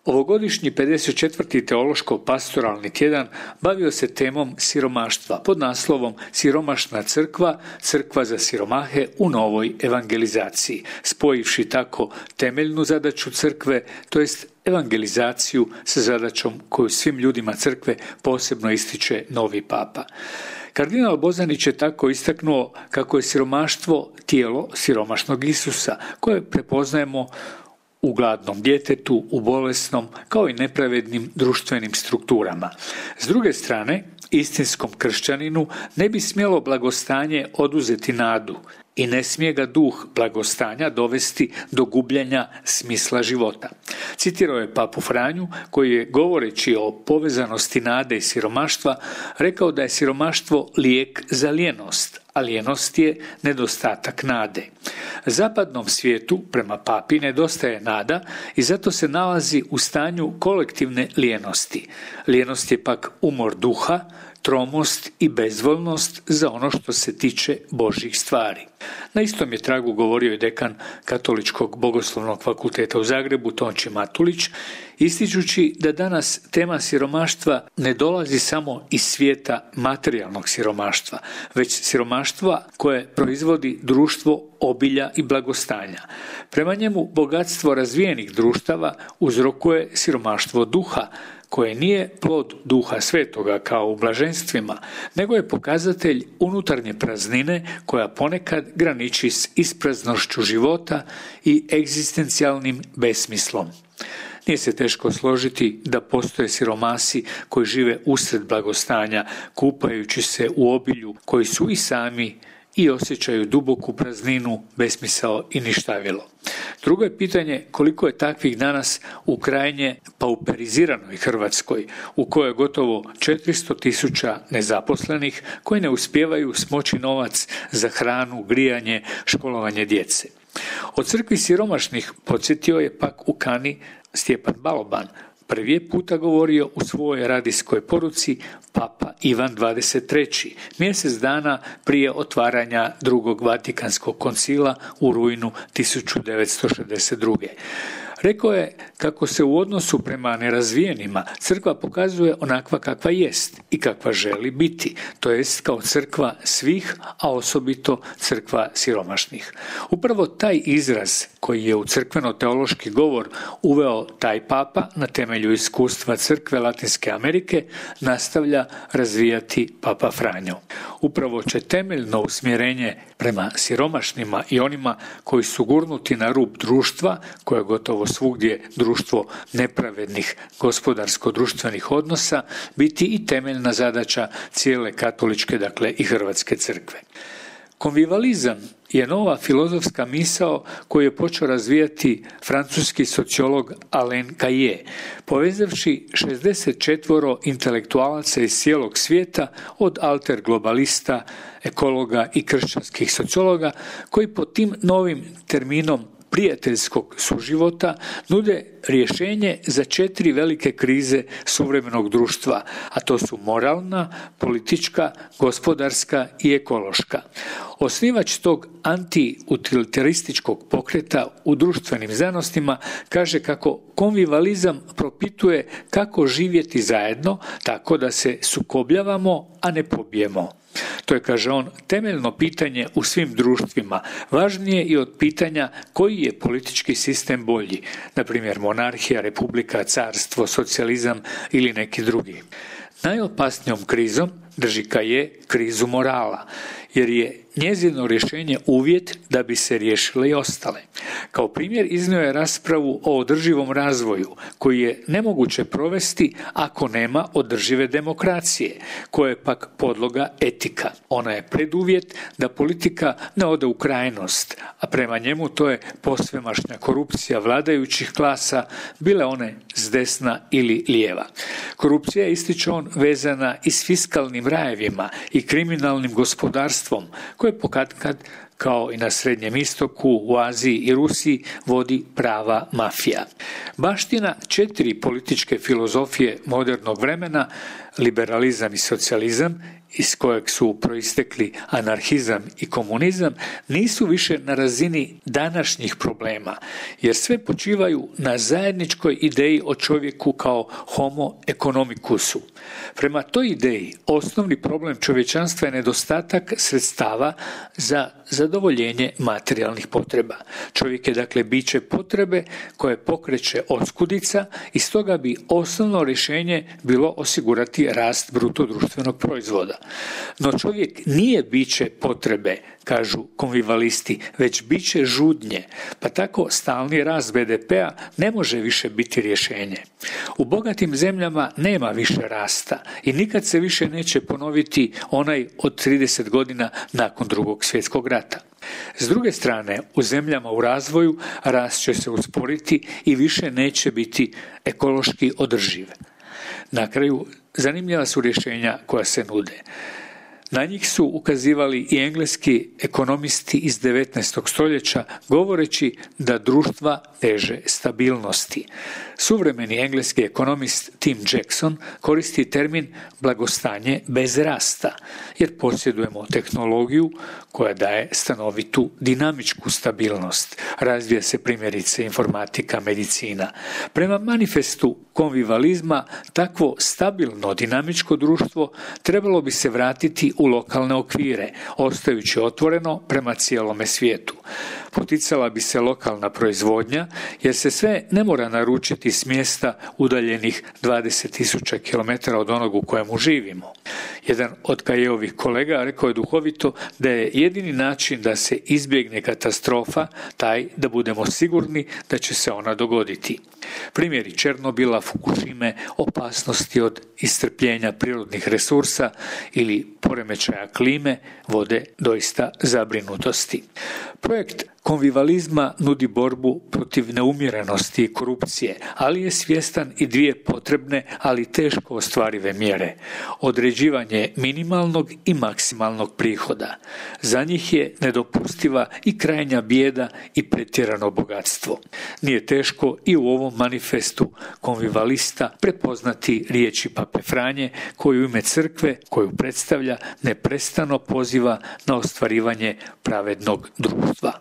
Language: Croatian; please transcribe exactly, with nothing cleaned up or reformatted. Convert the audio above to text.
Ovogodišnji pedeset četvrti teološko-pastoralni tjedan bavio se temom siromaštva pod naslovom Siromašna crkva, crkva za siromahe u novoj evangelizaciji, spojivši tako temeljnu zadaću crkve, to jest evangelizaciju sa zadaćom koju svim ljudima crkve posebno ističe novi papa. Kardinal Bozanić je tako istaknuo kako je siromaštvo tijelo siromašnog Isusa, koje prepoznajemo u gladnom djetetu, u bolesnom, kao i nepravednim društvenim strukturama. S druge strane, istinskom kršćaninu ne bi smjelo blagostanje oduzeti nadu i ne smije ga duh blagostanja dovesti do gubljenja smisla života. Citirao je papu Franju, koji je, govoreći o povezanosti nade i siromaštva, rekao da je siromaštvo lijek za lijenost, a lijenost je nedostatak nade. Zapadnom svijetu, prema papi, nedostaje nada i zato se nalazi u stanju kolektivne lijenosti. Lijenost je pak umor duha, tromost i bezvoljnost za ono što se tiče Božjih stvari. Na istom je tragu govorio i dekan Katoličkog bogoslovnog fakulteta u Zagrebu, Tonči Matulić, ističući da danas tema siromaštva ne dolazi samo iz svijeta materijalnog siromaštva, već siromaštva koje proizvodi društvo obilja i blagostanja. Prema njemu bogatstvo razvijenih društava uzrokuje siromaštvo duha, koje nije plod Duha Svetoga kao u blaženstvima, nego je pokazatelj unutarnje praznine koja ponekad graniči s ispraznošću života i egzistencijalnim besmislom. Nije se teško složiti da postoje siromasi koji žive usred blagostanja, kupajući se u obilju, koji su i sami i osjećaju duboku prazninu, besmisao i ništavilo. Drugo je pitanje koliko je takvih danas u krajnje pauperiziranoj Hrvatskoj, u kojoj je gotovo četiristo tisuća nezaposlenih koji ne uspijevaju smoći novac za hranu, grijanje, školovanje djece. O crkvi siromašnih podsjetio je pak u Kani Stjepan Baloban. Prvi je puta govorio u svojoj radijskoj poruci Papa Ivan dvadeset treći, mjesec dana prije otvaranja drugog Vatikanskog koncila u rujnu tisuću devetsto šezdeset druge. Rekao je kako se u odnosu prema nerazvijenima crkva pokazuje onakva kakva jest i kakva želi biti, to jest kao crkva svih, a osobito crkva siromašnih. Upravo taj izraz koji je u crkveno-teološki govor uveo taj papa na temelju iskustva crkve Latinske Amerike nastavlja razvijati papa Franjo. Upravo će temeljno usmjerenje prema siromašnima i onima koji su gurnuti na rub društva, koje je gotovo svugdje društvo nepravednih gospodarsko-društvenih odnosa, biti i temeljna zadaća cijele katoličke, dakle i hrvatske crkve. Konvivalizam je nova filozofska misao koju je počeo razvijati francuski sociolog Alain Caillé, povezavši šezdeset četvoro intelektualaca iz cijelog svijeta, od alter globalista, ekologa i kršćanskih sociologa, koji pod tim novim terminom prijateljskog suživota nude rješenje za četiri velike krize suvremenog društva, a to su moralna, politička, gospodarska i ekološka. Osnivač tog anti-utilitarističkog pokreta u društvenim znanostima kaže kako konvivalizam propituje kako živjeti zajedno tako da se sukobljavamo, a ne pobijemo. To je, kaže on, temeljno pitanje u svim društvima, važnije i od pitanja koji je politički sistem bolji, na primjer monarhija, republika, carstvo, socijalizam ili neki drugi. Najopasnijom krizom drži Caillé krizu morala, jer je njezino rješenje uvjet da bi se riješile i ostale. Kao primjer iznio je raspravu o održivom razvoju, koji je nemoguće provesti ako nema održive demokracije, koja je pak podloga etika. Ona je preduvjet da politika ne ode u krajnost, a prema njemu to je posvemašnja korupcija vladajućih klasa, bile one s desna ili lijeva. Korupcija, ističe on, vezana i s fiskalnim rajevima i kriminalnim gospodarstvom, koje pokatkad, kao i na Srednjem istoku, u Aziji i Rusiji, vodi prava mafija. Baština četiri političke filozofije modernog vremena, liberalizam i socijalizam, iz kojeg su proistekli anarhizam i komunizam, nisu više na razini današnjih problema, jer sve počivaju na zajedničkoj ideji o čovjeku kao homo economicusu. Prema toj ideji, osnovni problem čovječanstva je nedostatak sredstava za zadovoljenje materijalnih potreba. Čovjek je dakle biće potrebe koje pokreće oskudica i stoga bi osnovno rješenje bilo osigurati rast bruto društvenog proizvoda. No čovjek nije biće potrebe, kažu konvivalisti, već biće žudnje, pa tako stalni rast be de pea ne može više biti rješenje. U bogatim zemljama nema više rasta i nikad se više neće ponoviti onaj od trideset godina nakon Drugog svjetskog rata. S druge strane, u zemljama u razvoju rast će se usporiti i više neće biti ekološki održiv. Na kraju, zanimljiva su rješenja koja se nude. Na njih su ukazivali i engleski ekonomisti iz devetnaestog stoljeća, govoreći da društva teže stabilnosti. Suvremeni engleski ekonomist Tim Jackson koristi termin blagostanje bez rasta, jer posjedujemo tehnologiju koja daje stanovitu dinamičku stabilnost. Razvija se primjerice informatika, medicina. Prema manifestu konvivalizma, takvo stabilno dinamičko društvo trebalo bi se vratiti u lokalne okvire, ostajući otvoreno prema cijelome svijetu. Poticala bi se lokalna proizvodnja, jer se sve ne mora naručiti s mjesta udaljenih dvadeset tisuća kilometara od onog u kojemu živimo. Jedan od Kajevovih kolega rekao je duhovito da je jedini način da se izbjegne katastrofa taj da budemo sigurni da će se ona dogoditi. Primjeri Černobila, Fukushime, opasnosti od iscrpljenja prirodnih resursa ili poremećaja klime vode doista zabrinutosti. Projekt konvivalizma nudi borbu protiv neumjerenosti i korupcije, ali je svjestan i dvije potrebne, ali teško ostvarive mjere. Određivanje minimalnog i maksimalnog prihoda. Za njih je nedopustiva i krajnja bijeda i pretjerano bogatstvo. Nije teško i u ovom manifestu konvivalista prepoznati riječi Pape Franje, koji u ime crkve, koju predstavlja, neprestano poziva na ostvarivanje pravednog društva.